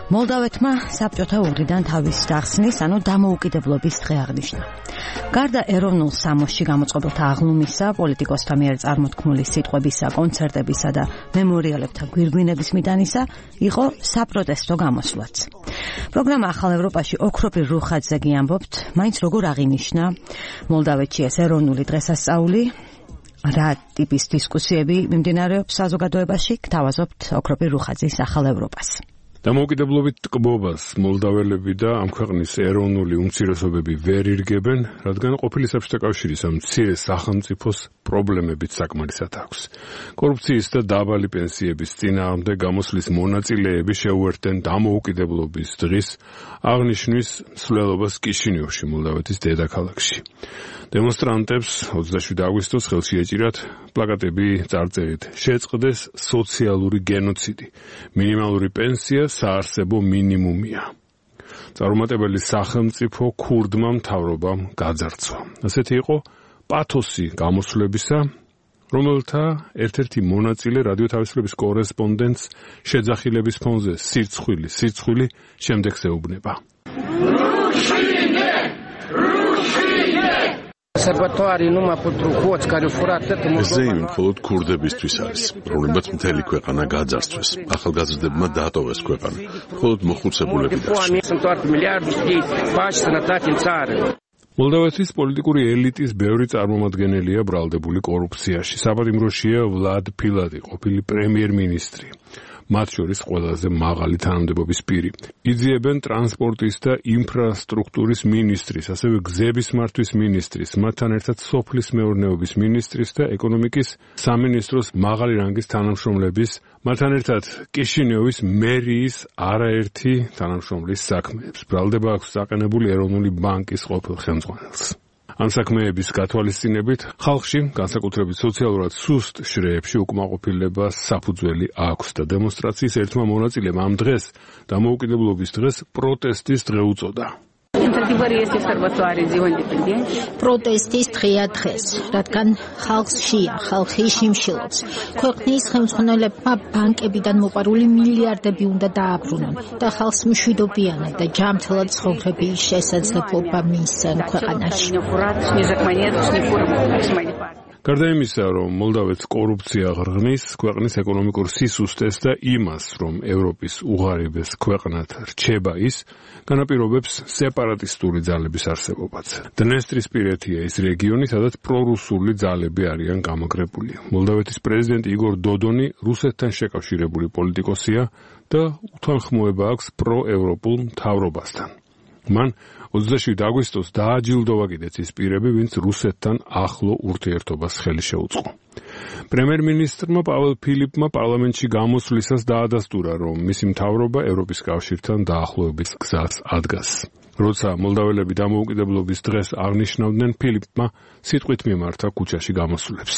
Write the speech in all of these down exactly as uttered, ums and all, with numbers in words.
მოლდავეთმა საბჭოთა უღრიდან თავის დახსნის, ანუ დამოუკიდებლობის დღე აღნიშნა. გარდა ეროვნულ სამოსში გამოწყობილთა აღლუმისა, პოლიტიკოსთა მიერ წარმოთქმული სიტყვებისა, კონცერტებისა და მემორიალებთა გვირგვინების მიტანისა, იყო საპროტესტო გამოსვლაც. პროგრამა ახალ ევროპაში ოქროპირ რუხაძე გიამბობთ, მაინც როგორ აღინიშნა მოლდავეთში ეს ეროვნული დღესასწაული, რა ტიპის დისკუსიები მიმდინარეობს საზოგადოებაში, გთავაზობთ ოქროპირ რუხაძის ახალ ევროპას. დამოუკიდებლობით ტკბობას მოლდაველები და ამ ქვეყნის ეროვნული უმცირესობები ვერ ირგებენ, რადგან ყოფილი საბჭოთა კავშირის ამ მცირე სახელმწიფოს პრობლემებით საკმარისად აქვს. კორუფციის და დაბალი პენსიების წინააღმდეგ გამოსვლის მონაწილეები შეუერთდნენ დამოუკიდებლობის დღის აღნიშვნის მსვლელობას კიშინიოვში, მოლდავეთის დედაქალაქში. დემონსტრანტებს ოცდაშვიდი აგვისტოს ხელში ეჭირათ პლაკატები წარწერით შეწყდეს სოციალური გენოციდი, მინიმალური პენსია საარსებო მინიმუმია. წარუმატებელი სახელმწიფო ქურდმა მთავრობამ გაძარცვა. ასეთი იყო პათოსი გამოსვლებისა, რომელთა ერთ-ერთი მონაწილე რადიო თავისუფლების კორესპონდენტს შეძახილების фоНზე სირცხვილი, სირცხვილი შემდეგს ეუბნება. ეს ზეიმი მხოლოდ ქურდებისთვის არის, რომლებმაც მთელი ქვეყანა გაძარცვეს. ახალგაზრდებმა დაატოვეს ქვეყანა. მხოლოდ მოხუცებულები დარჩნენ. მოლდავეთის პოლიტიკური ელიტის ბევრი წარმომადგენელია ბრალდებული კორუფციაში. საპატიმროშია ვლად ფილადი, ყოფილი პრემიერ-მინისტრი. მათ შორის ყველაზე მაღალი თანამდებობის პირი. იძიებენ ტრანსპორტის და ინფრასტრუქტურის მინისტრის, ასევე გზების მართვის მინისტრის, მათთან ერთად სოფლის მეურნეობის მინისტრის და ეკონომიკის სამინისტროს მაღალი რანგის თანამშრომლების, მათთან ერთად კიშინიოვის მერიის არაერთი თანამშრომლის საქმეებს. ბრალდება აქვს დაყენებული ეროვნული ბანკის ყოფილ ხელმძღვანელს. ამ საქმეების გათვალისწინებით ხალხში, განსაკუთრებით სოციალურად სუსტ შრეებში უკმაყოფილებას საფუძველი აქვს და დემონსტრაციის ერთმა მონაწილემ ამ დღეს, დამოუკიდებლობის დღეს, პროტესტის დღე უწოდა. პროტესტის დღეა დღეს, რადგან ხალხს შეია, ხალხი შიმშილობს. ქვეყნის ხელმძღვანელებმა ბანკებიდან მოპარული მილიარდები უნდა დააბრუნონ და ხალხს მშვიდობიანად და ჯანმრთელად ცხოვრების შესაძლებლობა მისცენ ქვეყანაში. გარდა იმისა, რომ მოლდავეთს კორუფცია ღრღნის, ქვეყნის ეკონომიკურ სისუსტეს და იმას, რომ ევროპის უღარიბეს ქვეყნად რჩება ის, განაპირობებს სეპარატისტული ძალების არსებობაც. დნესტრისპირეთია ის რეგიონი, სადაც პრორუსული ძალები არიან გამაგრებული. მოლდავეთის პრეზიდენტი იგორ დოდონი რუსეთთან შეკავშირებული პოლიტიკოსია და უთანხმოება აქვს პროევროპულ მთავრობასთან. მან ოცდაშვიდი აგვისტოს დააჯილდოვა კიდეც ის პირები, ვინც რუსეთთან ახლო ურთიერთობას ხელი შეუწყო. პრემიერ-მინისტრმა პაველ ფილიპმა პარლამენტში გამოსვლისას დაადასტურა, რომ მისი მთავრობა ევროპის კავშირთან დაახლოების გზას ადგას. როცა მოლდაველები დამოუკიდებლობის დღეს აღნიშნავდნენ, ფილიპმა სიტყვით მიმართა ქუჩაში გამოსვლებს.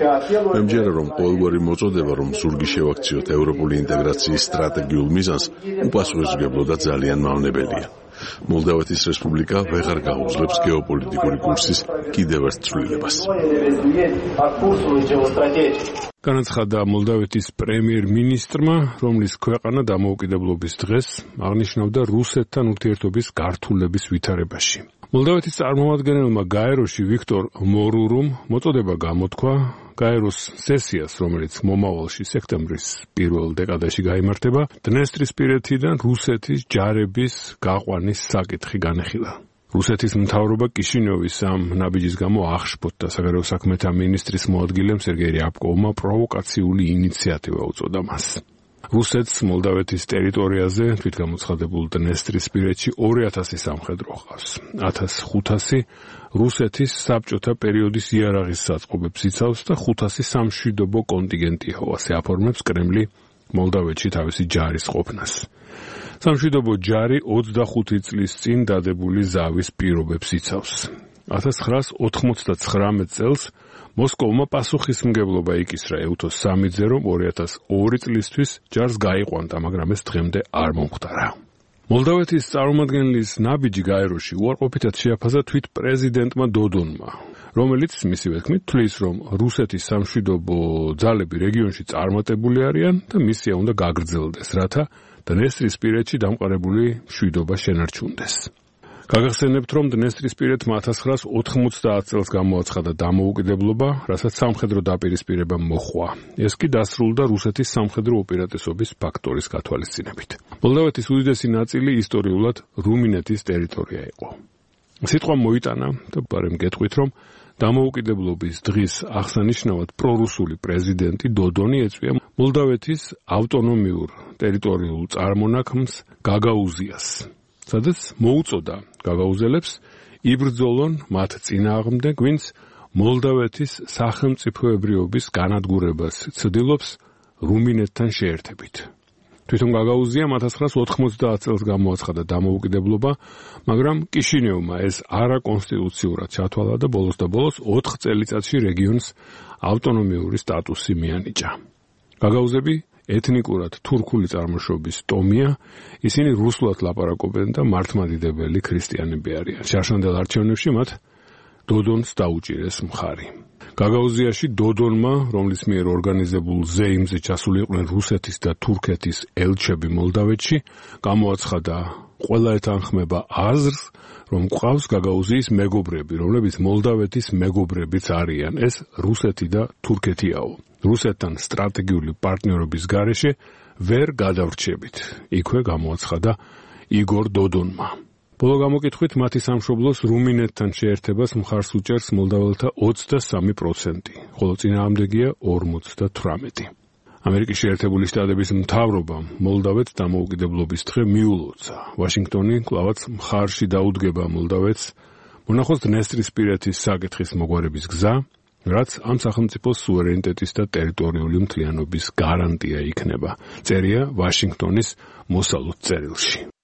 მე მჯერა, რომ ყოველგვარი მოწოდება, რომ ზურგი შევაქციოთ ევროპული ინტეგრაციის სტრატეგიულ მიზანს, უპასუხისმგებლო და ძალიან მავნებელია. მოლდავეთის რესპუბლიკა ვეღარ გაუძლებს გეოპოლიტიკური კურსის კიდევ ერთ ცვლილებას. განაცხადა მოლდავეთის პრემიერ-მინისტრმა, რომლის ქვეყანა დამოუკიდებლობის დღეს აღნიშნავდა რუსეთთან ურთიერთობის გართულების ვითარებაში. მოლდავეთის წარმომადგენელმა გაეროში ვიქტორ მორურუმ მოწოდება გამოთქვა გაეროს სესიას, რომელიც მომავალში სექტემბრის პირველ დეკადაში გაიმართება, დნესტრისპირეთიდან რუსეთის ჯარების გაყვანის საკითხი განეხილა. რუსეთის მთავრობა კიშინიოვის ამ ნაბიჯის გამო აღშფოთდა საგარეო საქმეთა მინისტრის მოადგილემ სერგეი რიაბკოვმა პროვოკაციული ინიციატივა უწოდა მას. რუსეთს მოლდავეთის ტერიტორიაზე თვითგამოცხადებულ დნესტრისპირეთში ორი ათასი სამხედრო ჰყავს. ათას ხუთასი რუსეთის საბჭოთა პერიოდის იარაღის საწყობებს იცავს და ხუთასი სამშვიდობო კონტინგენტია, ასე აფორმებს კრემლი მოლდავეთში თავისი ჯარის ყოფნას. სამშვიდობო ჯარი ოცდახუთი წლის წინ დადებული ზავის პირობებს იცავს. ათას ცხრაას ოთხმოცდაცხრამეტ წელს მოსკოვმა პასუხისმგებლობა იკისრა ეუთოს სამიძე, რომ ორი ათას ორი წლისთვის ჯარს გაიყვანდა, მაგრამ ეს დღემდე არ მომხდარა. მოლდავეთის წარმომადგენლის ნაბიჯი გაეროში უარყოფითად შეაფასა თვით პრეზიდენტმა დოდონმა. რომელიც მისივე თქმით თვლის, რომ რუსეთის სამშვიდობო ძალები რეგიონში წარმატებული არიან და მისია უნდა გაგრძელდეს, რათა დნესტრისპირეთში დამყარებული მშვიდობა შენარჩუნდეს. გაგახსენებთ, რომ დნესტრისპირეთმა ათას ცხრაას ოთხმოცდაათ წელს გამოაცხადა დამოუკიდებლობა, რასაც სამხედრო დაპირისპირება მოჰყვა. ეს კი დასრულდა რუსეთის სამხედრო უპირატესობის ფაქტორის გათვალისწინებით. მოლდავეთის უდიდესი ნაწილი ისტორიულად რუმინეთის ტერიტორია იყო. სიტყვა მოიტანა და ბარემ გეტყვით, რომ დამოუკიდებლობის დღის აღსანიშნავად პრორუსული პრეზიდენტი დოდონი ეწვია მოლდავეთის ავტონომიურ ტერიტორიულ წარმონაქმნს გაგაუზიას, სადაც მოუწოდა გაგაუზელებს იბრძოლონ მათ წინააღმდეგ, ვინც მოლდავეთის სახელმწიფოებრიობის განადგურებას ცდილობს რუმინეთთან შეერთებით. თვითონ გაგაუზიამ ათას ცხრაას ოთხმოცდაათ წელს გამოაცხადა დამოუკიდებლობა, მაგრამ კიშინევმა ეს არაკონსტიტუციურად ჩათვალა და ბოლოს და ბოლოს ოთხ წელიწადში რეგიონს ავტონომიური სტატუსი მიანიჭა. გაგაუზები ეთნიკურად თურქული წარმოშობის ტომია, ისინი რუსულად ლაპარაკობენ და მართლმადიდებელი ქრისტიანები არიან. შარშანდელ არჩევნებში მათ დოდონს დაუჭირეს მხარი. გაგაუზიაში დოდონმა, რომლის მიერ ორგანიზებულ ზეიმზე ჩასული იყვნენ რუსეთის და თურქეთის ელჩები მოლდავეთში, გამოაცხადა ყველა ეთანხმება აზრს, რომ ყავს გაგაუზიის მეგობრები, რომლებიც მოლდავეთის მეგობრებიც არიან. ეს რუსეთი და თურქეთიაო. რუსეთთან სტრატეგიული პარტნიორობის გარეშე ვერ გადავრჩებით. იქვე გამოაცხადა იგორ დოდონმა. ბოლო გამოკითხვით მათი სამშობლოს რუმინეთთან შეერთებას მხარს უჭერს მოლდაველთა ოცდასამი პროცენტი, ხოლო წინააღმდეგია ორმოცდათვრამეტი. ამერიკის შეერთებული შტატების მთავრობამ მოლდავეთს დამოუკიდებლობის დღე მიულოცა. ვაშინგტონი კვლავაც მხარში დაუდგება მოლდავეთს მონახოს დნესტრისპირეთის საკითხის მოგვარების გზა, რაც ამ სახელმწიფოს სუვერენიტეტის და ტერიტორიული მთლიანობის გარანტია იქნება. წერია ვაშინგტონის მოსალოდ წერილში.